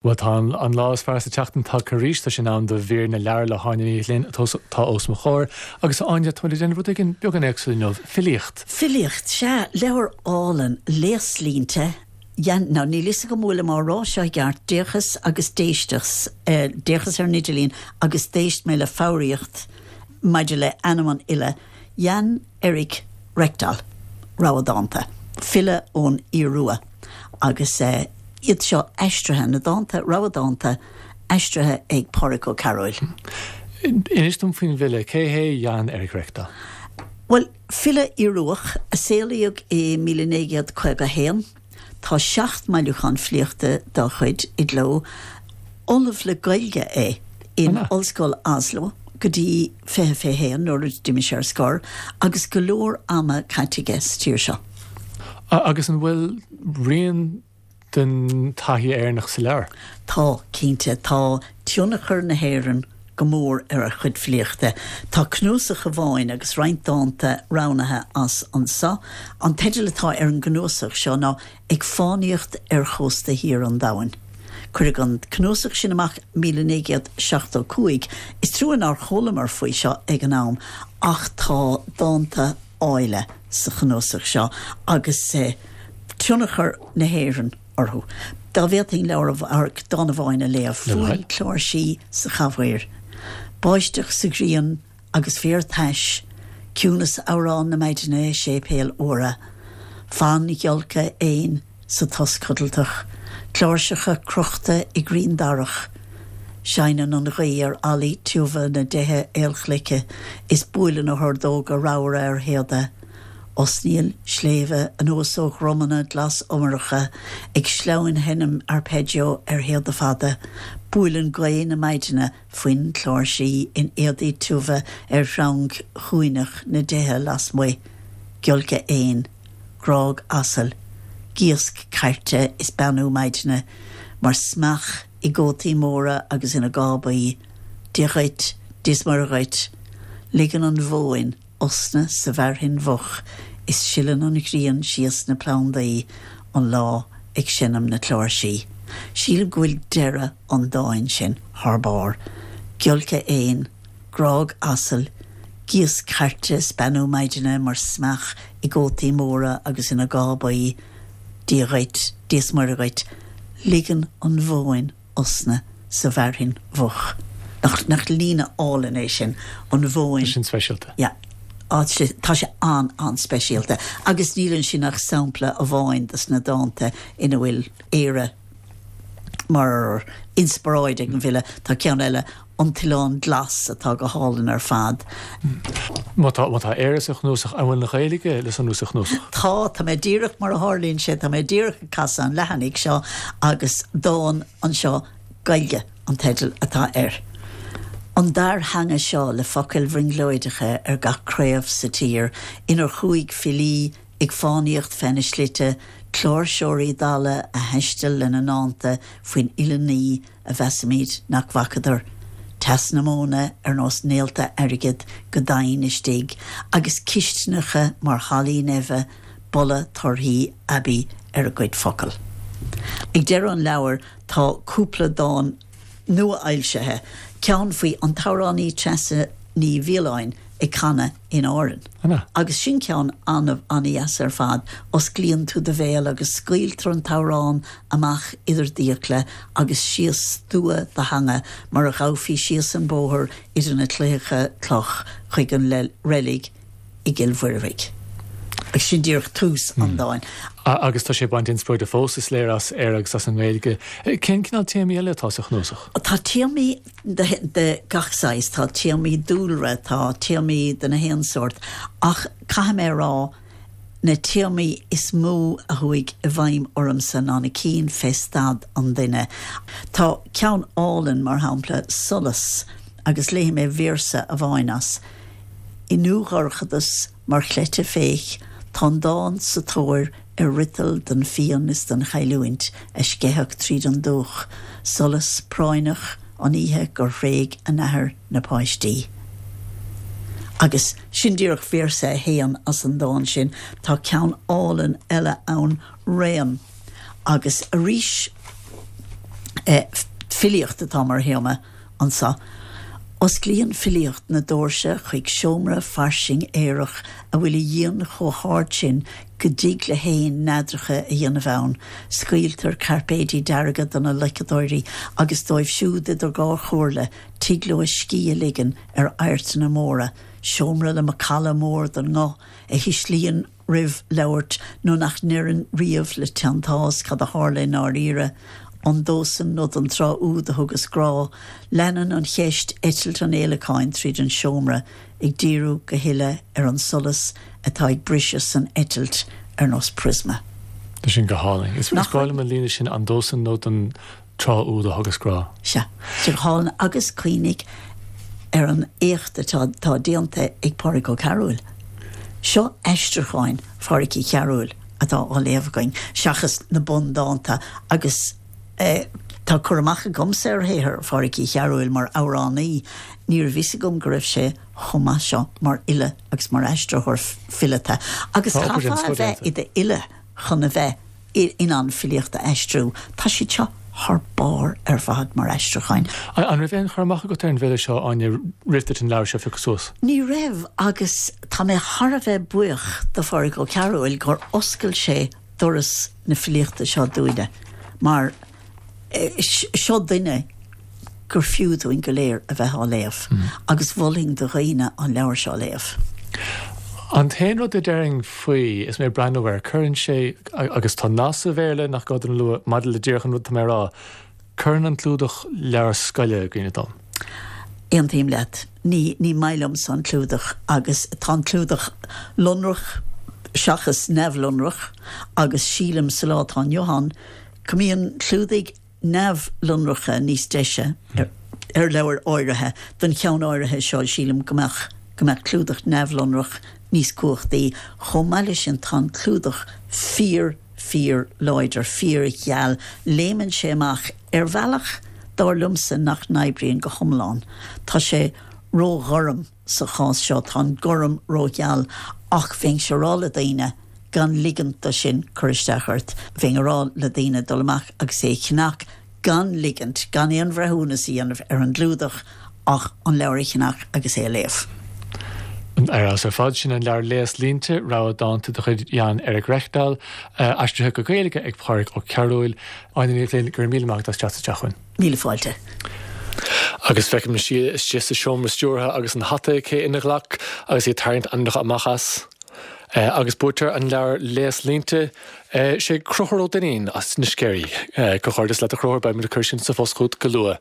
Bhuel, tá an lá is fearr sa tseachtain tagtha arís, tá sé in am do mhír na leabhar le hÁine Ní Ghlinn atá os mo chomhair. Agus a Áine, táimid ag déanamh rud éigin beagán éagsúil inniu, filíocht. Filíocht, sea, leabhar álainn, Léaslínte, Jan, now níl fhios agam an bhfuilim á rá seo i gceart, d'fhéachas agus d'éisteas, d'fhéachas ar an idirlíon agus d'éist mé le foghraíocht maidir le ainm an fhile, Jan Erik Rekdal, rogha dánta, file ón Iorua agus iad seo aistrithe, na dánta, rogha dánta aistrithe ag Pádraic Ó Cearúil. Inis dom faoin bhfile, cé hé Jan Erik Rekdal? Bhuel, file Ioruach a saolaíodh i 1951. Tá 7 mbailiúchán filíochta dá chuid i gcló. Ollamh le Gaeilge é in Ollscoil Oslo go dtí 2021 nuair a d'imigh sé ar scor agus go leor ama caite aige sa tír seo. Agus an bhfuil rian den taithí Éireannach sa leabhar? Tá, cinnte. Tá tionchar na hÉireann go mór ar a chuid filíochta. Tá cnuasach amháin agus roinnt dánta roghnaithe as anso. An teideal atá ar an gcnuasach seo ná Ag Fánaíocht ar Chósta Thiar an Domhain. Cuireadh an cnuasach sin amach 1975. Is trua nár chualamar faoi seo ag an am ach tá dánta áille sa chnuasach seo agus tionchar na hÉireann orthu. Dá bhféadfainn leabhar, dán amháin a léamh, Fuaim cláirsí sa chathaoir, báisteach sa ghrian agus féar tais, ciúnas amhrán na maidine i séipéil fhuara, fonn ghiolcadh éin sa tost codlatach, cláirseacha crochta i gcrainn darach. Seinneann an ghaoth ar fhallaí tiubha na dtithe aolchloiche is buaileann a hordóga ramhra ar théada. Osnaíonn sléibhe anuas ó dhromanna glas-iomaireacha, ag sleamhainseinm arpeggio ar théada fada. Buaileann gaoth na maidine foinn cláirsí in éadaí tiubha ar shreang chúinneach na dtithe lasmuigh, giolcadh éin, grág asail, gíosc cairte is beannú maidine mar smeach i gcótaí móra agus ina gcábaí, Dia dhuit, Dia is Muire dhuit. Ligeann an mhóin osna sa bhfearthainn mhoch is sileann an ghrian síos na plandaí, an lá ag seinm na cláirsí. Sílim go bhfuil deireadh an dáin sin thar barr. Giolcadh éin, grág asail, gíosc cairte is beannú maidine mar smeach i gcótaí móra agus ina gcábaí, Dia dhuit, Dia is Muire dhuit, ligeann an mhóin osna sa bhfearthainn mhoch. Nach, nach líne álainn é sin, an mhóin. Tá sin speisialta. Yeah. Á, tá sé an, an-speisialta. Agus níl ansin ach sampla amháin dos na dánta ina bhfuil Éire mar inspioráid ag an bhfile. Tá ceann eile, An tOileán Glas, atá go hálainn ar fad. Má tá, má tá Éire sa chnuasach, an bhfuil an Ghaeilge le sonrú sa chnuasach? Tá, tá mé díreach, mar a tharlaíonn sé, tá mé díreach ag casadh an leathanaigh seo agus dán anseo, Gaeilge an teideal atá air. An dair theanga seo le focail bhrionglóideacha ar gach craobh sa tír inar chuaigh filí ag fánaíocht feadh na slite, cláirseoirí dalla a thaistil lena ndánta faoin uile ní a mheasaimid nach bhfacadar, teas na móna ar nós néalta airgid go domhain istigh agus cistineacha mar hallaí neimhe, boladh torthaí aibí ar a gcuid focal. Ag deireadh an leabhair tá cúpla dán nua-fhoilsithe, ceann faoi an t-amhránaí Treasa Ní Mhiolláin ag canadh in Árainn. Agus sin ceann an-dheas ar fad, osclaíonn tú do bhéal agus scaoiltear an t-amhrán amach idir d'fhiacla agus síos stua do theanga mar a ghabhfaí síos an bóthar idir na claíocha cloch chuig an reilig i gCill Mhuirbhigh. Agus sin díreach tús an dáin. Agus tá sé ag baint inspioráide fós, is léir, as Éire agus as an nGaeilge. Cén cineál téamaí eile atá sa chnuasach? Tá téamaí de gach saghas, tá téamaí dúlra, tá téamaí de na haon sórt, ach caithfidh mé a rá, na téamaí is mó a chuaigh i bhfeidhm ormsa ná na cinn fé staid an duine. Tá ceann álainn, mar shampla, 'Solas', agus léifidh mé véarsa amháin as, I ndúdhorchadas mar chleite féich, tá an dán sa tóir ar fhriotal don phian is don chailliúint a sceitheadh tríd an dúch, solas práinneach an oíche gur thréig a n-athair na páistí. Agus sin díreach véarsa a haon as an dán sin. Tá ceann álainn eile ann, Raon. Agus arís. Filíocht atá mar théama anso. Osclaíonn filíocht na doirse chuig seomra fairsing aerach a bhfuil a dhíon chomh hard sin go dtig le héin neadracha a dhéanamh ann. Scaoiltear cairpéidí dearga do na loiceadóirí agus dóibh siúd idir dhá chomhairle, tig leo a scíth a ligean ar adhairteanna móra. Seomra le macalla mór den nguth a thuislíonn roimh labhairt nó nach ndeireann riamh le teanntás cad a tharla i ndáiríre. An dósan nó don tráth úd a thugas grá? Leanann an cheist eitilt an fhéileacáin tríd an seomra, ag díriú go huile ar an solas atá ag briseadh san eitilt ar nós priosma. Tá sin go hálainn. Is breá liom an líne sin, an dósan nó don tráth úd a thugas grá. Sea, tá go hálainn agus cuimhnigh ar an éacht atá atá déanta ag Pádraig Ó Cearúil. Seo aistriúcháin Phádraic Uí Chearúil atá á léamh againn, seachas na bundánta agus tá cur amach agamsa ar shaothar Phádraic Uí Chearúil mar amhránaí, ní raibh fhios agam go raibh sé chomh maith seo mar fhile agus mar aistritheoir fileata. Agus chaithfeá a bheith i d'fhile chun a bheith in ann filíocht a aistriú. Tá siad seo thar barr ar fad mar aistriúcháin. An raibh aon chur amach agat ar an bhfile seo, Áine, roimh duit an leabhar seo a phiocadh suas? Ní raibh agus tá mé thar a bheith buíoch do Phádraig Ó Cearúil gur oscail sé doras na filíochta seo dúinne mar seo duine gur fiú dúinn go léir a bheith á léamh agus mholfainn do dhaoine an leabhar seo a léamh. An t-aon rud a déarfainn faoi is mé ag breathnú air, cuireann sé, agus tá nath sa Bhéarla nach gá dom a lua maidir le díreach an rud atá mé a rá, cuireann an clúdach leabhar scoile i gcuimhne dom. Aontaím leat. Ní, ní maith liomsa an clúdach agus tá an clúdach lonrach seachas neamhlonrach agus sílim sa lá atá inniu ann go mbíonn clúdaigh neamhlonracha níos deise ar leabhair áirithe. Don cheann áirithe seo, sílim go mbeadh go mbeadh clúdach neamhlonrach níos cumhachtaí. Chomh maith leis sin, tá an clúdach fíor, fíor láidir, fíor gheal. Léimeann sé amach ar bhealach, dar liomsa, nach n-oibríonn go hiomlán. Tá sé ró-ghorm sa chás seo, tá an gorm ró-gheal ach bheinnse a rá le daoine, gan ligint do sin cur isteach ort. Bheinn a rá le daoine dul amach agus é a cheannach gan ligint, gan aon bhreithiúnas a dhéanamh ar an gclúdach ach an leabhar a cheannach agus é a léamh. Ar fheabhas ar fad, sin an leabhar Léaslínte, rogha dánta de chuid Jan Erik Rekdal, aistrithe go Gaeilge ag Pádraig Ó Cearúil. Áine Ní Ghlinn, go raibh míle maith agat as teacht isteach chugainn. Míle fáilte. Agus feicim Síle istigh sa seomra stiúrtha agus an hata aici ina glac agus í ag tarraingt ainmneacha amach as. Agus buaiteoir an leabhair Léaslínte, sé Conchúr Ó Duinnín as na Sceirí. Comhghairdeas leat a Chonchúir, beidh muid ag cur sin sa phost chugat go luath.